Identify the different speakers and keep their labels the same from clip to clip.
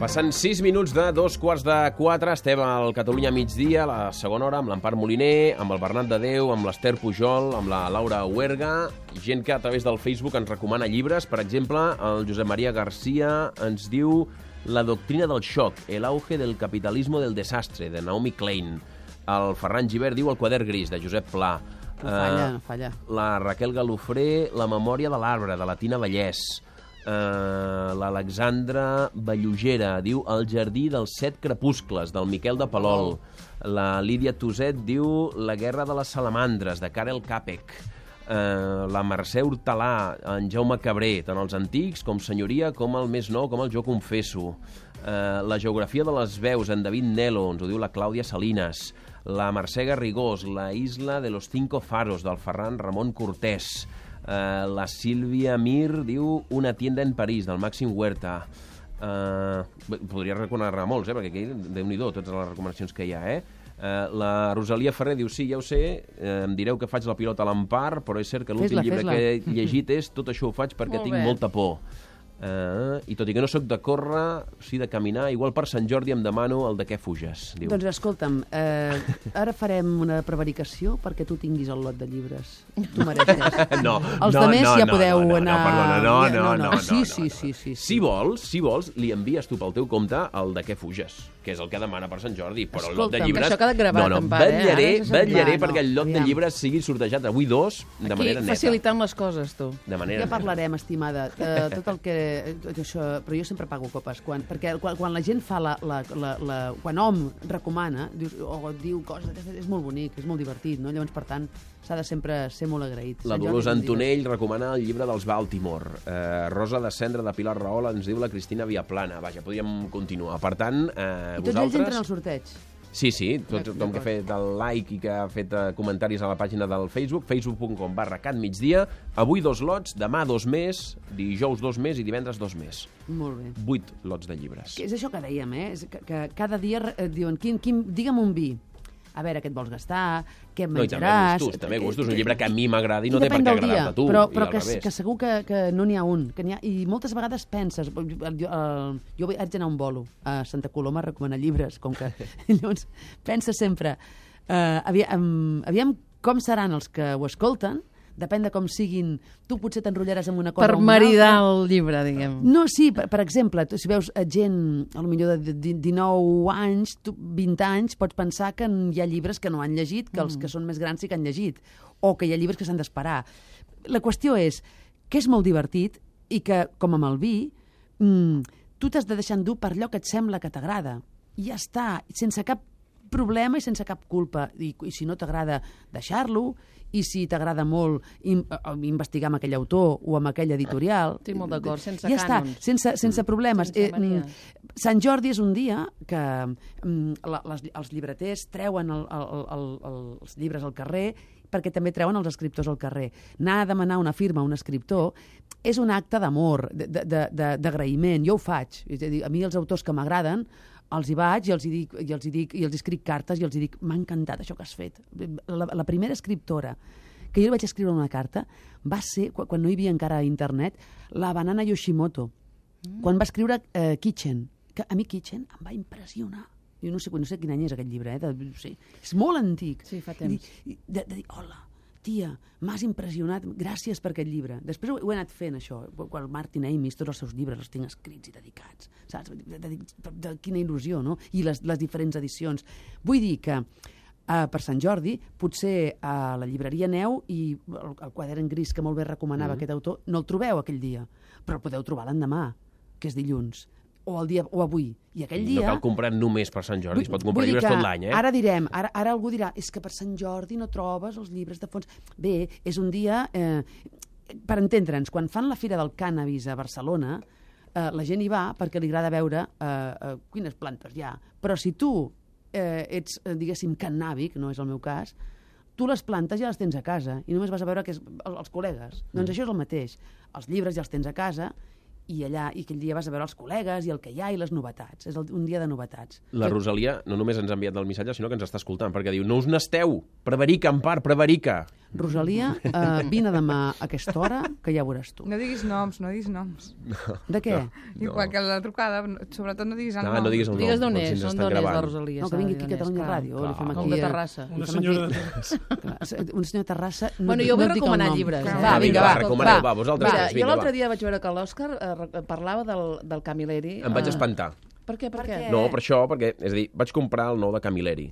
Speaker 1: Passant 6 minuts de 3:45, estem al Catalunya migdia, a la segona hora, amb l'Empar Moliner, amb el Bernat de Déu, amb l'Ester Pujol, amb la Laura Huerga, gent que a través del Facebook ens recomana llibres. Per exemple, el Josep Maria Garcia ens diu La doctrina del xoc, el auge del capitalismo del desastre, de Naomi Klein. El Ferran Gibert diu El quadern gris, de Josep Pla.
Speaker 2: No falla.
Speaker 1: La Raquel Galofré, La memòria de l'arbre, de la Tina Vallès. L'Alexandra Ballugera diu El jardí dels 7 crepuscles, del Miquel de Palol. La Lídia Tuset diu La guerra de les salamandres, de Karel Capek. La Mercè Hortalà, en Jaume Cabré, tant els antics com Senyoria, com el més nou, com el Jo confesso. La geografia de les veus, en David Nelo, ens ho diu la Clàudia Salinas. La Mercè Garrigós, La isla de los 5 faros, del Ferran Ramon Cortés. La Sílvia Mir diu Una tienda en París, del Màxim Huerta. Podria recomanar molts, perquè aquí, Déu-n'hi-do, totes les recomanacions que hi ha, La Rosalia Ferrer diu sí, ja ho sé, em direu que faig la pilota a l'Empar, però és cert que l'últim llibre que he llegit és Tot això ho faig perquè tinc molta por. I tot i que no sóc de córrer, sí de caminar, igual per Sant Jordi em demano el de què fuges, diu.
Speaker 2: Doncs escolta'm, ara farem una prevaricació perquè tu tinguis el lot de llibres. Tu mereixes.
Speaker 1: No,
Speaker 2: els altres ja podeu anar...
Speaker 1: No.
Speaker 2: Sí.
Speaker 1: Si vols, li envies tu pel teu compte el de què fuges, que és el que demana per Sant Jordi, però el lot de llibres...
Speaker 3: Això queda gravat,
Speaker 1: vetllaré perquè el lot de llibres sigui sortejat avui 2 de manera neta.
Speaker 3: Aquí facilitant les coses, tu.
Speaker 2: Ja parlarem, estimada, tot el que... Això, però jo sempre pago copes, perquè quan la gent fa quan hom recomana diu coses, és molt bonic, és molt divertit, no? Llavors, per tant, s'ha de sempre ser molt agraït.
Speaker 1: La Dolors Antonell recomana el llibre dels Baltimore. Rosa de Cendra, de Pilar Rahola, ens diu la Cristina Viaplana. Vaja, podríem continuar. Per tant,
Speaker 2: I tots ells entren al sorteig?
Speaker 1: Sí, tothom que ha fet el like i que ha fet comentaris a la pàgina del Facebook, facebook.com/catmigdia. Avui 2 lots, demà 2 més, dijous 2 més i divendres 2 més.
Speaker 2: Molt bé.
Speaker 1: 8 lots de llibres.
Speaker 2: És això que dèiem, que cada dia diuen, digue'm un vi. A veure, què et vols gastar, què menjaràs...
Speaker 1: No, i també gustos, un llibre que a mi m'agrada i no té per què agradar-te a tu.
Speaker 2: Però que segur que no n'hi ha un. I moltes vegades penses... Jo haig d'anar a un bolo a Santa Coloma a recomanar llibres, com que... Llavors, pensa sempre... Aviam com seran els que ho escolten, depèn de com siguin, tu potser t'enrotllaràs amb una cosa
Speaker 3: per maridar el llibre, diguem.
Speaker 2: No, sí, per exemple, si veus gent, potser de 19 anys, 20 anys, pots pensar que hi ha llibres que no han llegit, que els que són més grans sí que han llegit, o que hi ha llibres que s'han d'esperar. La qüestió és que és molt divertit i que, com amb el vi, tu t'has de deixar endur per allò que et sembla que t'agrada. I ja està, sense cap problema i sense cap culpa. I si no t'agrada, deixar-lo, i si t'agrada molt investigar amb aquell autor o amb aquell editorial...
Speaker 3: Estic molt d'acord, sense
Speaker 2: cànons. Ja està, sense problemes. Sant Jordi és un dia que els llibreters treuen els llibres al carrer perquè també treuen els escriptors al carrer. Anar a demanar una firma a un escriptor és un acte d'amor, d'agraïment. Jo ho faig. És a dir, a mi els autors que m'agraden els hi vaig i els escric cartes i els dic, m'ha encantat això que has fet. La primera escriptora que jo li vaig escriure una carta va ser, quan no hi havia encara internet, la Banana Yoshimoto, quan va escriure Kitchen. Que a mi Kitchen em va impressionar. Jo no sé quin any és aquest llibre, és molt antic.
Speaker 3: Sí, fa temps.
Speaker 2: De dir, hola, tia, m'has impressionat, gràcies per aquest llibre. Després ho he anat fent, això. Quan Martin Amis, tots els seus llibres els tinc escrits i dedicats. Saps? De quina il·lusió, no? I les diferents edicions. Vull dir que per Sant Jordi, potser a la llibreria Neu i el quadern gris que molt bé recomanava aquest autor, no el trobeu aquell dia, però el podeu trobar l'endemà, que és dilluns. O avui. I aquell dia...
Speaker 1: No cal comprar només per Sant Jordi, es pot comprar llibres tot l'any,
Speaker 2: Ara direm, ara algú dirà, és que per Sant Jordi no trobes els llibres de fons. Bé, és un dia... Per entendre'ns, quan fan la Fira del Cànnabis a Barcelona, la gent hi va perquè li agrada veure quines plantes hi ha. Però si tu ets, diguéssim, cannàbic, no és el meu cas, tu les plantes ja les tens a casa i només vas a veure els col·legues. Doncs això és el mateix. Els llibres ja els tens a casa i aquell dia vas a veure els col·legues i el que hi ha i les novetats. És un dia de novetats.
Speaker 1: La Rosalia no només ens ha enviat el missatge, sinó que ens està escoltant, perquè diu, no us n'esteu, prevarica, Empar, prevarica.
Speaker 2: Rosalia, vine demà a aquesta hora, que ja veuràs tu.
Speaker 4: No diguis noms, no diguis noms.
Speaker 2: De què?
Speaker 4: Igual que la trucada, sobretot no diguis el nom.
Speaker 1: No diguis el nom.
Speaker 3: Digues d'on
Speaker 1: perquè
Speaker 3: és,
Speaker 1: ens
Speaker 3: on
Speaker 1: estan
Speaker 3: és la
Speaker 1: gravant.
Speaker 3: Rosalia.
Speaker 2: No, que vingui aquí a Catalunya Ràdio. Li fem
Speaker 3: O
Speaker 2: aquí,
Speaker 3: de Terrassa.
Speaker 5: Una senyora de Terrassa.
Speaker 2: Un senyor de Terrassa...
Speaker 3: Bueno, jo vull
Speaker 2: et dic el
Speaker 3: recomanar
Speaker 2: nom.
Speaker 3: llibres.
Speaker 4: Va,
Speaker 1: vinga, recomaneu, va, vosaltres
Speaker 3: Mira,
Speaker 1: tres,
Speaker 3: jo
Speaker 1: vinga,
Speaker 3: l'altre
Speaker 1: va.
Speaker 3: dia vaig veure que l'Òscar parlava del Camilleri.
Speaker 1: Em vaig espantar.
Speaker 3: Per què? Per què?
Speaker 1: No, per això, perquè, és a dir, vaig comprar el nou de Camilleri.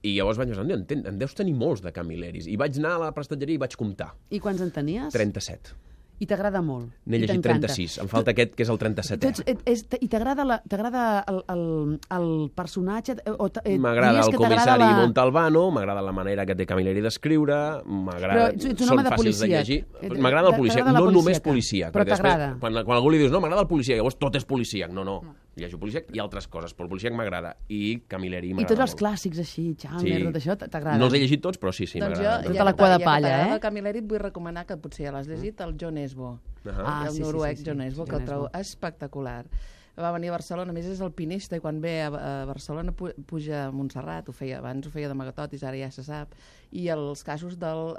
Speaker 1: I llavors vaig pensar, en deus tenir molts de Camilleris. I vaig anar a la prestatgeria i vaig comptar.
Speaker 2: I quants en tenies?
Speaker 1: 37.
Speaker 2: I t'agrada molt.
Speaker 1: N'he llegit 36. Em falta aquest, que és el 37è.
Speaker 2: I t'agrada el personatge?
Speaker 1: M'agrada el comissari Montalbano, m'agrada la manera que té Camilleri d'escriure, m'agrada...
Speaker 2: Però ets un home
Speaker 1: Són
Speaker 2: de
Speaker 1: fàcils de
Speaker 2: policia.
Speaker 1: llegir. M'agrada el policia,
Speaker 2: T'agrada la
Speaker 1: no només
Speaker 2: policíaca.
Speaker 1: policia.
Speaker 2: Però
Speaker 1: perquè després,
Speaker 2: t'agrada.
Speaker 1: Quan algú li dius, no, m'agrada el policia, llavors tot és policíac. No. Llegeixo policíac i altres coses, però el policíac m'agrada. I Camilleri
Speaker 2: I
Speaker 1: m'agrada
Speaker 2: tots els
Speaker 1: molt.
Speaker 2: clàssics així, Chalmers,
Speaker 1: Sí.
Speaker 2: tot això, t'agrada?
Speaker 1: No els he llegit tots, però sí,
Speaker 3: Doncs jo,
Speaker 1: m'agrada.
Speaker 2: Tota la cua de palla,
Speaker 3: ja que
Speaker 2: eh?
Speaker 3: t'agrada Camilleri, et vull recomanar, que potser ja l'has llegit, el John Esbo.
Speaker 2: Ah,
Speaker 3: El
Speaker 2: sí,
Speaker 3: noruec
Speaker 2: sí.
Speaker 3: John Esbo, que
Speaker 2: John
Speaker 3: el trobo
Speaker 2: Esbo.
Speaker 3: espectacular. Va venir a Barcelona, a més és alpinista, i quan ve a Barcelona puja a Montserrat, abans ho feia d'amagatotis, ara ja se sap, i els casos del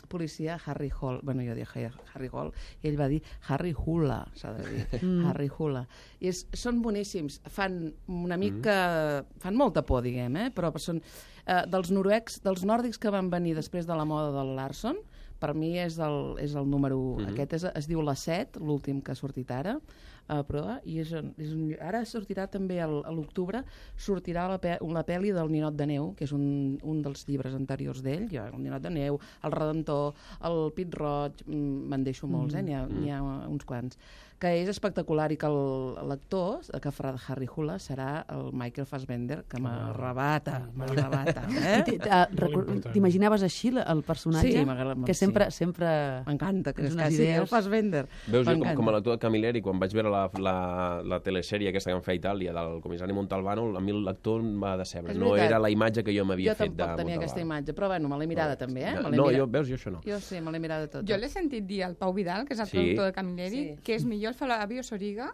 Speaker 3: policia Harry Hall, bueno, jo dic Harry Hall, i ell va dir Harry Hula, s'ha de dir, Harry Hula. I són boníssims, fan una mica... fan molta por, diguem, però són dels noruecs, dels nòrdics que van venir després de la moda del Larson. Per mi és el número 1. Aquest es diu La Set, l'últim que ha sortit ara, però ara sortirà també a l'octubre, sortirà la pel·li del Ninot de Neu, que és un dels llibres anteriors d'ell, el Ninot de Neu, el Redentor, el Pit Roig, me'n deixo molts, n'hi ha uns quants, que és espectacular, i que l'actor que farà de Harry Hula serà el Michael Fassbender, que m'arrebata,
Speaker 2: T'imaginaves així el personatge?
Speaker 3: Sí, m'agrada.
Speaker 2: Que sempre...
Speaker 3: M'encanta, que
Speaker 2: tens
Speaker 3: és
Speaker 2: unes
Speaker 3: quasi
Speaker 2: idees.
Speaker 3: el Fassbender.
Speaker 1: Veus, jo com a l'actor de Camilleri, quan vaig veure la telesèrie aquesta que em feia a Itàlia del comissari Montalbano, a mi l'actor em va decebre.
Speaker 3: És
Speaker 1: No
Speaker 3: veritat.
Speaker 1: era la imatge que jo m'havia fet de
Speaker 3: Jo tampoc tenia aquesta imatge, però bueno, me l'he mirada també,
Speaker 1: No, veus, jo això no.
Speaker 3: Jo sí, me l'he mirada tota.
Speaker 4: Jo l'he sentit dir al Pau Vidal, que és el
Speaker 1: Sí.
Speaker 4: productor de Camilleri, que és millor el Flavio Soriga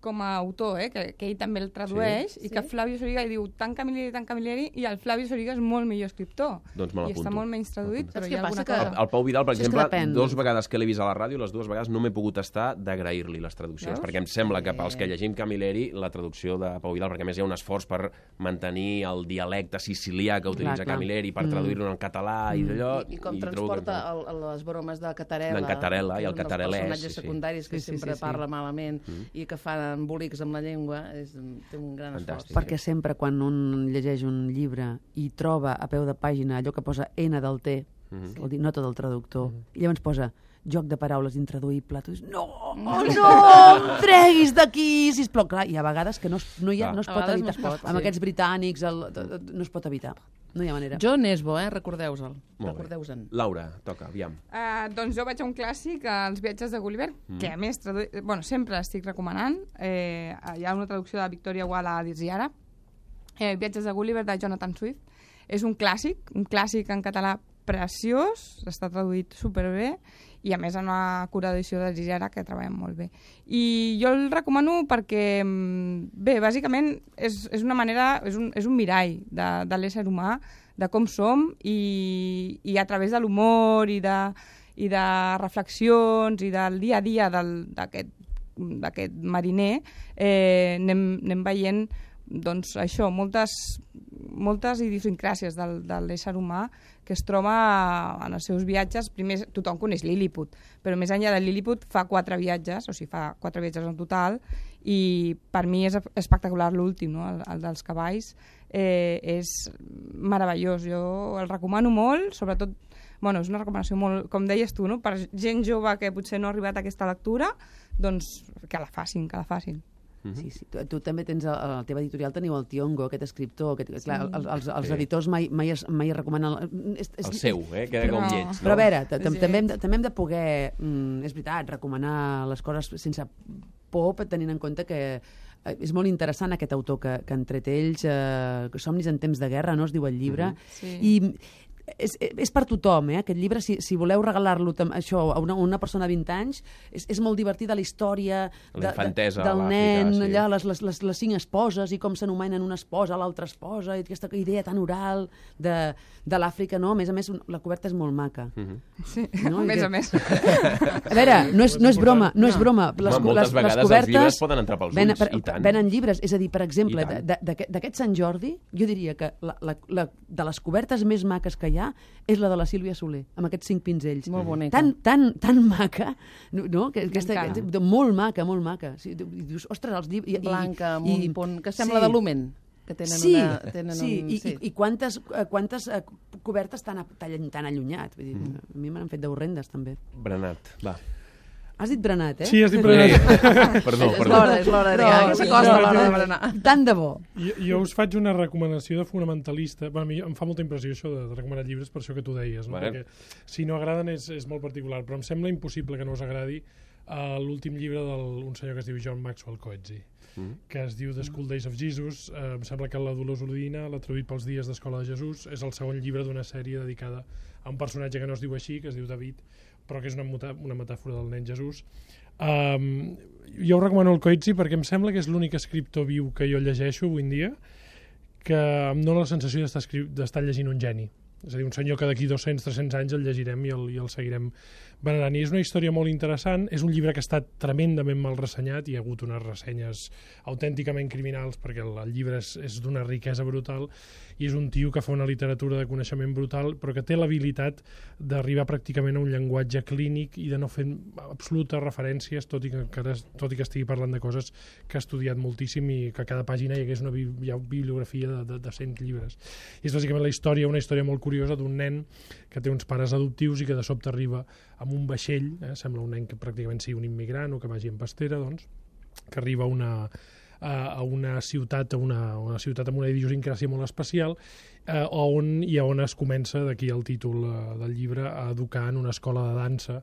Speaker 4: com a autor, que ell també el tradueix, i que Flavio Soriga li diu tant Camilleri, i el Flavio Soriga és molt millor escriptor.
Speaker 1: Doncs me
Speaker 4: I
Speaker 1: l'apunto.
Speaker 4: està molt menys traduït, però
Speaker 3: Saps
Speaker 4: hi
Speaker 3: què
Speaker 4: ha alguna
Speaker 3: passa?
Speaker 4: cosa.
Speaker 1: El Pau Vidal, per
Speaker 2: Això és que
Speaker 1: exemple,
Speaker 2: depèn.
Speaker 1: 2 vegades que l'he vist a la ràdio, les 2 vegades no m'he pogut estar d'agrair-li les traduccions,
Speaker 4: Veus?
Speaker 1: perquè em sembla que pels que llegim Camilleri, la traducció de Pau Vidal, perquè a més hi ha un esforç per mantenir el dialecte sicilià que utilitza
Speaker 2: clar.
Speaker 1: Camilleri, per traduir-ho en català i d'allò...
Speaker 3: I com
Speaker 1: trobo que-
Speaker 3: transporta les bromes de Catarella.
Speaker 1: D'en Catarella
Speaker 3: que
Speaker 1: i
Speaker 3: és
Speaker 1: el
Speaker 3: un dels
Speaker 1: catarelès,
Speaker 3: personatges
Speaker 1: sí.
Speaker 3: secundaris que
Speaker 2: Sí,
Speaker 3: sempre
Speaker 2: sí.
Speaker 3: parla malament i que fan embolics amb la llengua. Té un gran
Speaker 1: Fantàstic.
Speaker 3: esforç.
Speaker 2: Perquè sempre quan un llegeix un llibre i troba a peu de pàgina allò que posa N del T, vol dir nota del traductor, i llavors posa joc de paraules intraduïble, tu dius, no, no, em treguis d'aquí, sisplau. Clar, hi ha vegades que no es
Speaker 3: A
Speaker 2: pot
Speaker 3: vegades
Speaker 2: evitar.
Speaker 3: no es pot,
Speaker 2: Amb
Speaker 3: sí.
Speaker 2: aquests britànics no es pot evitar. No hi ha manera.
Speaker 3: John Esbo, recordeu-se'l.
Speaker 1: Molt bé.
Speaker 3: Recordeu-se'n.
Speaker 1: Laura, toca, aviam.
Speaker 4: Doncs jo vaig a un clàssic, Els viatges de Gulliver, que a més sempre l'estic recomanant. Hi ha una traducció de Victoria Walla a dir-hi ara. Viatges de Gulliver, de Jonathan Swift. És un clàssic en català preciós, està traduït superbé, i a més en una cura edició de Gigera que treballem molt bé. I jo el recomano perquè, bé, bàsicament és una manera, és un mirall de l'ésser humà, de com som, i a través de l'humor i de reflexions i del dia a dia d'aquest mariner anem veient doncs això, moltes idiosincràcies de l'ésser humà que es troba en els seus viatges. Primer, tothom coneix Lilliput, però més enllà de Lilliput fa 4 viatges, o sigui, fa 4 viatges en total, i per mi és espectacular l'últim, no? El dels cavalls. És meravellós, jo el recomano molt, sobretot, bueno, és una recomanació molt, com deies tu, no? Per gent jove que potser no ha arribat a aquesta lectura, doncs que la facin,
Speaker 2: Sí. Tu també tens, a la teva editorial teniu el Tiongo, aquest escriptor, clar, els editors mai recomanen...
Speaker 1: El seu, queda com lleig.
Speaker 2: Però a veure, també hem de poder, és veritat, recomanar les coses sense por, tenint en compte que és molt interessant aquest autor que han tret ells, Somnis en temps de guerra, no es diu el llibre, i és per tothom, aquest llibre, si voleu regalar-lo això a una persona de 20 anys, és molt divertida la història del nen, allà, les 5 esposes i com s'anomenen una esposa, l'altra esposa, i aquesta idea tan oral de l'Àfrica, no? A més, la coberta és molt maca.
Speaker 4: Sí, a més.
Speaker 2: A veure, no és broma, no és broma.
Speaker 1: Moltes vegades els llibres poden entrar pels ulls, i tant.
Speaker 2: Venen llibres, és a dir, per exemple, d'aquest Sant Jordi, jo diria que de les cobertes més maques que hi ha és la de la Sílvia Soler, amb aquests 5 pinzells.
Speaker 3: Molt bonica.
Speaker 2: Tan maca, no? Molt maca, molt maca. Dius, ostres, els llibres...
Speaker 3: Blanca, amb un punt que sembla de Lumen.
Speaker 2: I quantes cobertes tan allunyat. Vull dir, a mi m'han fet d'horrendes, també.
Speaker 1: Brenat, va.
Speaker 2: Has dit Brenat, eh?
Speaker 5: Sí, has dit Brenat.
Speaker 1: Perdó.
Speaker 3: És l'hora que s'acosta l'hora de berenar.
Speaker 2: Tant de bo.
Speaker 5: Jo us faig una recomanació de fonamentalista. A mi em fa molta impressió això de recomanar llibres, per això que tu deies, no? Perquè si no agraden és molt particular, però em sembla impossible que no us agradi l'últim llibre d'un senyor que es diu John Maxwell Coetzee, que es diu The School Days of Jesus. Em sembla que la Dolors Udina l'ha traduït pels Dies d'Escola de Jesús. És el segon llibre d'una sèrie dedicada a un personatge que no es diu així, que es diu David, però que és una metàfora del nen Jesús. Jo ho recomano el Coetzee perquè em sembla que és l'únic escriptor viu que jo llegeixo avui en dia que em dóna la sensació d'estar llegint un geni. És a dir, un senyor que d'aquí 200-300 anys el llegirem i el seguirem venerant. I és una història molt interessant. És un llibre que ha estat tremendament mal ressenyat. Hi ha hagut unes ressenyes autènticament criminals perquè el llibre és d'una riquesa brutal i és un tio que fa una literatura de coneixement brutal però que té l'habilitat d'arribar pràcticament a un llenguatge clínic i de no fer absolutes referències, tot i que estigui parlant de coses que ha estudiat moltíssim i que a cada pàgina hi hagués una bibliografia de 100 llibres. I és bàsicament una història molt curiosa d'un nen que té uns pares adoptius i que de sobte arriba amb un vaixell, sembla un nen que pràcticament sigui un immigrant o que vagi en pastera, doncs, que arriba a una ciutat amb una idiosincràsia molt especial on es comença, d'aquí el títol del llibre, a educar en una escola de dansa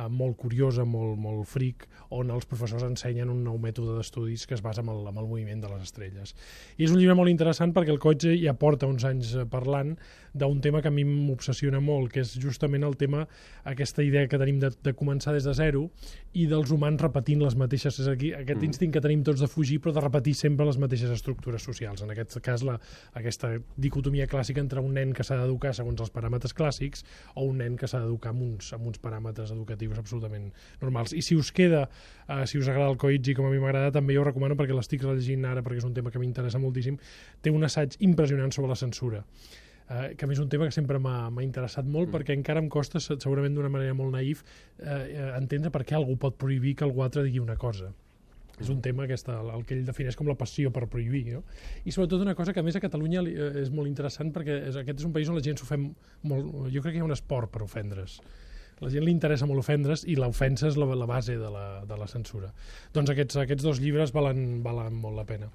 Speaker 5: molt curiosa, molt fric, on els professors ensenyen un nou mètode d'estudis que es basa en el moviment de les estrelles. I és un llibre molt interessant perquè el Coetzee ja porta uns anys parlant d'un tema que a mi m'obsessiona molt, que és justament el tema, aquesta idea que tenim de començar des de zero i dels humans repetint les mateixes, és aquí, aquest instint que tenim tots de fugir però de repetir sempre les mateixes estructures socials. En aquest cas, aquesta dicotomia clàssica entre un nen que s'ha d'educar segons els paràmetres clàssics o un nen que s'ha d'educar amb uns paràmetres educatius absolutament normals. I si us queda, si us agrada el Coetzee, com a mi m'agrada, també jo ho recomano perquè l'estic rellegint ara, perquè és un tema que m'interessa moltíssim. Té un assaig impressionant sobre la censura, que a mi és un tema que sempre m'ha interessat molt perquè encara em costa, segurament d'una manera molt naïf, entendre per què algú pot prohibir que algú altre digui una cosa. És un tema el que ell defineix com la passió per prohibir, no? I sobretot una cosa que a més a Catalunya és molt interessant perquè aquest és un país on la gent s'ofèn molt. Jo crec que hi ha un esport per ofendre's. A la gent li interessa molt ofendre's i l'ofensa és la base de la censura. Doncs aquests dos llibres valen molt la pena.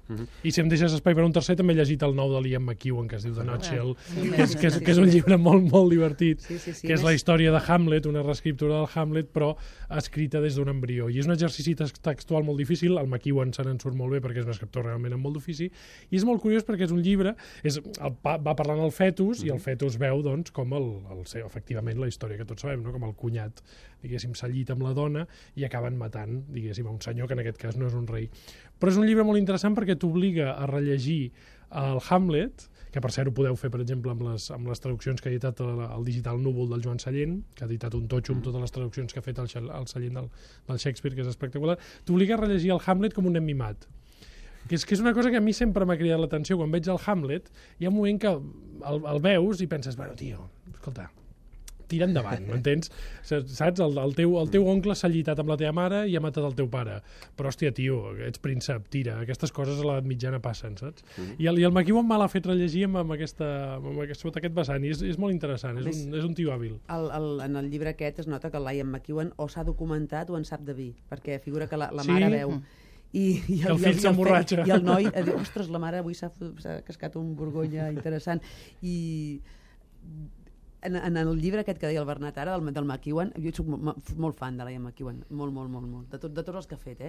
Speaker 5: I si em deixes espai per un tercer, també he llegit el nou de l'Ian McEwan, que es diu The Nutshell, que és un llibre molt divertit, que és la història de Hamlet, una reescriptura del Hamlet, però escrita des d'un embrió. I és un exercici textual molt difícil, el McEwan se n'en surt molt bé perquè és un escriptor realment amb molt d'ofici, i és molt curiós perquè és un llibre, va parlant el fetus, i el fetus veu doncs, com efectivament la història que tots sabem, no? Com el cunyat, diguéssim, s'ha llit amb la dona i acaben matant, diguéssim, a un senyor que en aquest cas no és un rei. Però és un llibre molt interessant perquè t'obliga a rellegir el Hamlet, que per cert ho podeu fer, per exemple, amb les traduccions que ha editat el Digital Núvol del Joan Sallent, que ha editat un totxo amb totes les traduccions que ha fet el Sallent del Shakespeare, que és espectacular. T'obliga a rellegir el Hamlet com un nen mimat. Que és una cosa que a mi sempre m'ha cridat l'atenció. Quan veig el Hamlet, hi ha un moment que el veus i penses, bueno, tio, escolta, tira endavant, m'entens? Saps? El teu oncle s'ha llitat amb la teva mare i ha matat el teu pare. Però, hòstia, tio, ets príncep, tira. Aquestes coses a l'edat mitjana passen, saps? I el McEwan me l'ha fet rellegir sota aquest vessant, i és molt interessant, és un tio hàbil.
Speaker 2: En el llibre aquest es nota que l'Ian McEwan o s'ha documentat o en sap de vi, perquè figura que la mare veu. I
Speaker 5: el fill s'emborratxa.
Speaker 2: I el noi diu, ostres, la mare avui s'ha cascat un Borgonya interessant. I en el llibre aquest que deia el Bernat ara, del McEwan, jo soc molt fan de l'Ian McEwan, molt, de tots els que ha fet.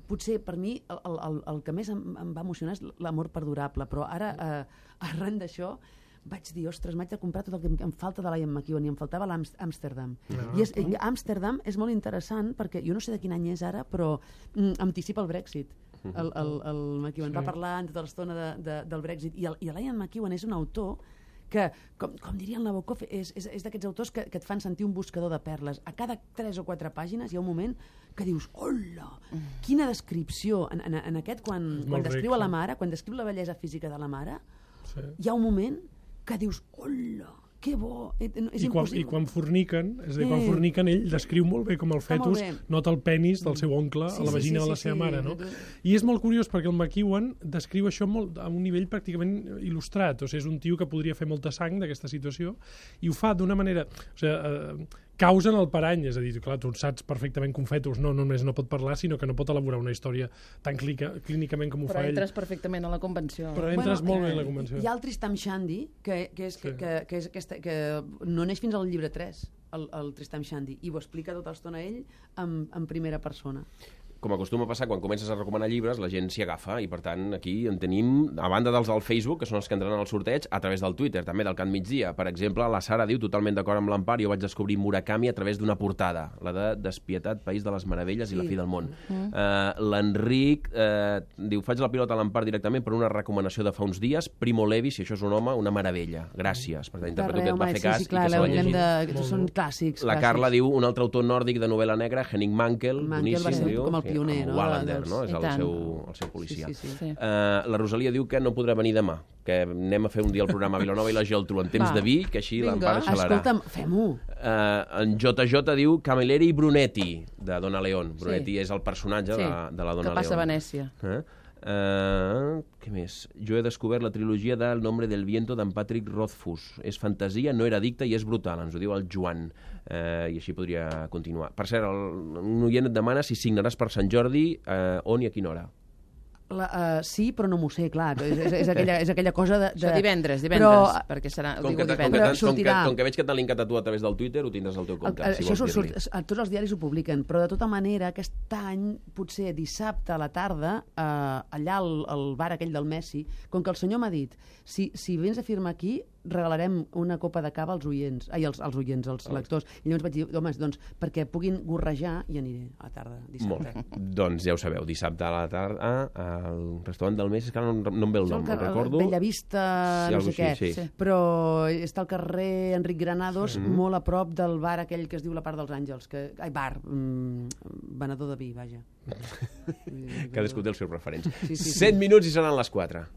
Speaker 2: Potser per mi el que més em va emocionar és l'amor perdurable, però ara, arran d'això, vaig dir, ostres, m'haig de comprar tot el que em falta de l'Ian McEwan, i em faltava l'Amsterdam. I Amsterdam és molt interessant perquè jo no sé de quin any és ara, però anticipa el Brexit. El McEwan va parlar tota l'estona del Brexit, i l'Ian McEwan és un autor que, com diria el Nabokov, és d'aquests autors que et fan sentir un buscador de perles. A cada 3 o 4 pàgines hi ha un moment que dius, hola, quina descripció. En aquest, quan descriu a la mare, quan descriu la bellesa física de la mare, hi ha un moment que dius, hola, que bo.
Speaker 5: I quan forniquen, és a dir, quan forniquen, ell descriu molt bé com el fetus nota el penis del seu oncle a la vagina de la seva mare, no? I és molt curiós perquè el McEwan descriu això a un nivell pràcticament il·lustrat, o sigui, és un tio que podria fer molta sang d'aquesta situació, i ho fa d'una manera... O sigui, causen el parany, és a dir, clar, tu saps perfectament que un fetus no només no pot parlar, sinó que no pot elaborar una història tan clínicament com ho fa ell.
Speaker 3: Però entres perfectament a la convenció.
Speaker 5: Però entres molt bé en la convenció.
Speaker 2: Hi ha el Tristam Shandy, que no neix fins al llibre 3, el Tristam Shandy, i ho explica tota l'estona ell en primera persona.
Speaker 1: Com acostuma a passar, quan comences a recomanar llibres, la gent s'hi agafa, i per tant aquí en tenim, a banda dels del Facebook, que són els que entraran al sorteig, a través del Twitter, també del Cant Migdia. Per exemple, la Sara diu, totalment d'acord amb l'Empar, jo vaig descobrir Murakami a través d'una portada, la de Despietat, País de les Meravelles i la fi del món. L'Enric diu, faig la pilota a l'Empar directament per una recomanació de fa uns dies, Primo Levi, si això és un home, una meravella. Gràcies. Per tant, interpreto que et va fer cas i que se l'ha llegit.
Speaker 2: Són clàssics.
Speaker 1: La Carla diu, un altre autor nòrdic de novel·la negra, Henning Mankell, boníssim, diu.
Speaker 2: Pioner, no?
Speaker 1: Wallander, no? És el seu policia. La Rosalia diu que no podrà venir demà, que anem a fer un dia el programa a Vilanova i la Geltrú en temps de vi, que així l'Empar xalarà.
Speaker 2: Escolta'm, fem-ho.
Speaker 1: En JJ diu Camilleri Brunetti, de Donna León. Brunetti és el personatge de la Donna León.
Speaker 3: Que passa a Venècia.
Speaker 1: Què més? Jo he descobert la trilogia del Nombre del Viento d'en Patrick Rothfuss. És fantasia, no era addicte i és brutal, ens ho diu el Joan. I així podria continuar. Per cert, un oient et demana si signaràs per Sant Jordi, on i a quina hora.
Speaker 2: Sí, però no m'ho sé, clar. És aquella cosa de...
Speaker 3: Això divendres, perquè serà...
Speaker 1: Com que veig que t'han linkat a tu a través del Twitter, ho tindràs al teu compte, si vols dir-li.
Speaker 2: Tots els diaris ho publiquen, però de tota manera, aquest any, potser dissabte a la tarda, allà al bar aquell del Messi, com que el senyor m'ha dit, si vens a firmar aquí, regalarem una copa de cava als oients, als lectors. I llavors vaig dir, home, doncs, perquè puguin gorrejar, i aniré a la tarda, dissabte.
Speaker 1: Doncs ja ho sabeu, dissabte a la tarda al restaurant del Messi, que no em ve el nom, el recordo.
Speaker 2: Bellavista, no sé què, però està al carrer Enric Granados, molt a prop del bar aquell que es diu la Part dels Àngels, venedor de vi, vaja.
Speaker 1: Cadascú té els seus referents. 7 minuts i seran les 4.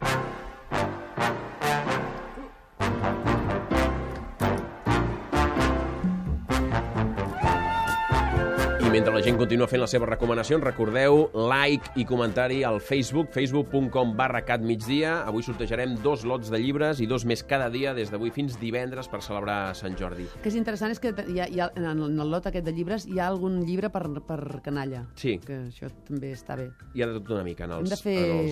Speaker 1: Mentre la gent continua fent les seves recomanacions, recordeu like i comentari al Facebook, facebook.com/catmigdia. Avui sortejarem 2 lots de llibres i 2 més cada dia des d'avui fins divendres per celebrar Sant Jordi.
Speaker 2: El que és interessant és que en el lot aquest de llibres hi ha algun llibre per canalla.
Speaker 1: Sí.
Speaker 2: Que això també està bé.
Speaker 1: Hi ha de tot una mica en els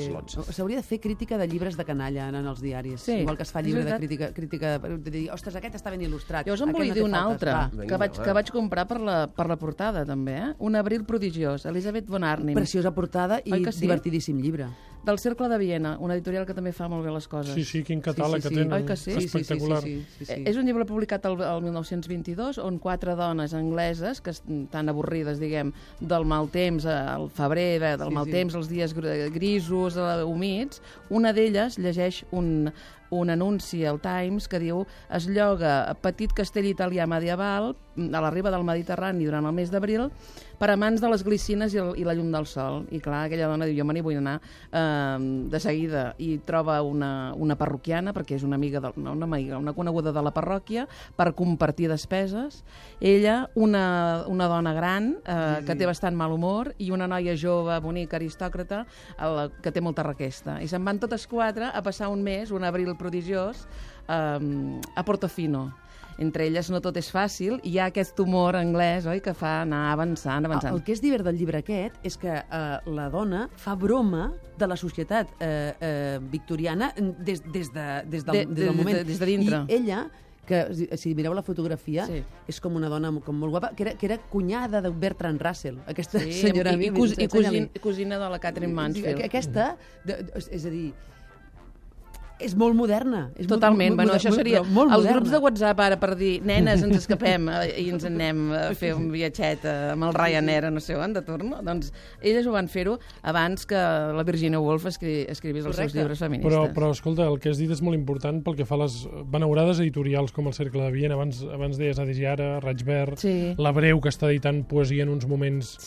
Speaker 1: lots.
Speaker 2: S'hauria de fer crítica de llibres de canalla en els diaris. Igual que es fa llibre de crítica de dir, ostres, aquest està ben il·lustrat.
Speaker 3: Jo us en volia dir un altre, que vaig comprar per la portada, també. Un abril prodigiós, Elisabeth von Arnim.
Speaker 2: Preciosa portada i divertidíssim llibre.
Speaker 3: Del Cercle de Viena, una editorial que també fa molt bé les coses.
Speaker 5: Sí, quin catàleg que tenen.
Speaker 3: Oi que sí?
Speaker 5: Espectacular.
Speaker 3: És un llibre publicat el 1922 on 4 dones angleses, que estan avorrides, diguem, del mal temps al febrer, del mal temps als dies grisos, humits, una d'elles llegeix un anunci al Times que diu es lloga petit castell italià medieval a la riba del Mediterrani durant el mes d'abril per a mans de les glicines i la llum del sol. I clar, aquella dona diu, jo me n'hi vull anar de seguida, i troba una parroquiana, perquè és una amiga, una coneguda de la parròquia, per compartir despeses. Ella, una dona gran, que té bastant mal humor, i una noia jove, bonica, aristòcrata, que té molta requesta. I se'n van totes 4 a passar un mes, un abril prodigiós, a Portofino. Entre elles no tot és fàcil, i hi ha aquest humor anglès, oi, que fa anar avançant.
Speaker 2: El que és divert del llibre aquest és que la dona fa broma de la societat victoriana des del moment.
Speaker 3: Des de dintre.
Speaker 2: I ella, que si mireu la fotografia, és com una dona com molt guapa, que era cunyada de Bertrand Russell, aquesta senyora.
Speaker 3: I cosina de la Catherine Mansfield.
Speaker 2: Aquesta, és a dir, És molt moderna. És
Speaker 3: Totalment. Bueno, això seria
Speaker 2: molt
Speaker 3: els
Speaker 2: moderna.
Speaker 3: grups de WhatsApp ara per dir nenes, ens escapem i ens en anem a fer un viatget amb el Ryanair, no sé on, de torno. Doncs elles ho van fer-ho abans que la Virginia Woolf escrivís els seus llibres feministes.
Speaker 5: Però escolta, el que has dit és molt important pel que fa a les beneurades editorials com el Cercle de Viena. Abans deies Adisiara, Raig Verd, La Breu, que està editant poesia en uns moments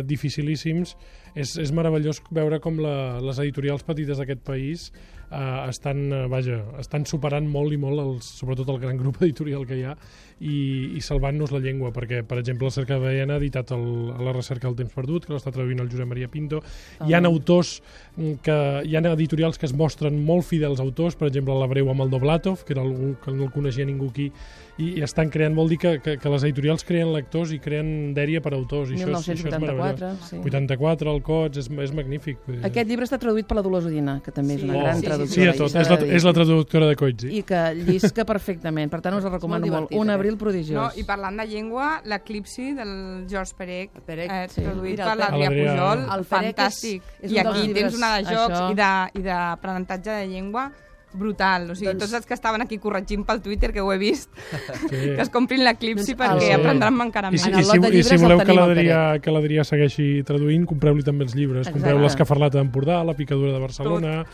Speaker 5: dificilíssims. És meravellós veure com les editorials petites d'aquest país estan superant molt i molt, sobretot el gran grup editorial que hi ha, i salvant-nos la llengua, perquè, per exemple, el Cercle de Viena ha editat La recerca del temps perdut, que l'està traduint el Josep Maria Pinto. Hi ha autors hi ha editorials que es mostren molt fidels autors, per exemple, La Breu amb el Doblatov, que era algú que no el coneixia ningú aquí, i estan creant, vol dir que les editorials creen lectors i creen dèria per autors, i
Speaker 3: 1984,
Speaker 5: això és 84, el Cots, és magnífic.
Speaker 3: Aquest llibre està traduït per la Dolors Udina, que també és una gran traductora.
Speaker 5: Sí, a tot, és la traductora de Cots.
Speaker 3: I que llisca perfectament, per tant us el recomano molt. Un abril prodigiós.
Speaker 4: No, i parlant de llengua, l'Eclipsi del George Perec, traduït
Speaker 2: Mira,
Speaker 4: per l'Adrià Pujol,
Speaker 2: el Perec
Speaker 4: fantàstic.
Speaker 2: és
Speaker 4: I
Speaker 2: un dels
Speaker 4: aquí
Speaker 2: llibres,
Speaker 4: tens una de jocs i d'aprenentatge de llengua brutal. O sigui, tots els que estaven aquí corregint pel Twitter, que ho he vist, que es comprin l'Eclipsi perquè aprendran encara més.
Speaker 5: I si voleu que l'Adrià segueixi traduint, compreu-li també els llibres. Compreu l'Escafarlata d'Empordà, La picadura de Barcelona,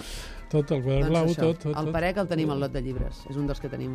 Speaker 5: tot, el Quadern Blau, tot.
Speaker 2: El Perec el tenim al lot de llibres, és un dels que tenim.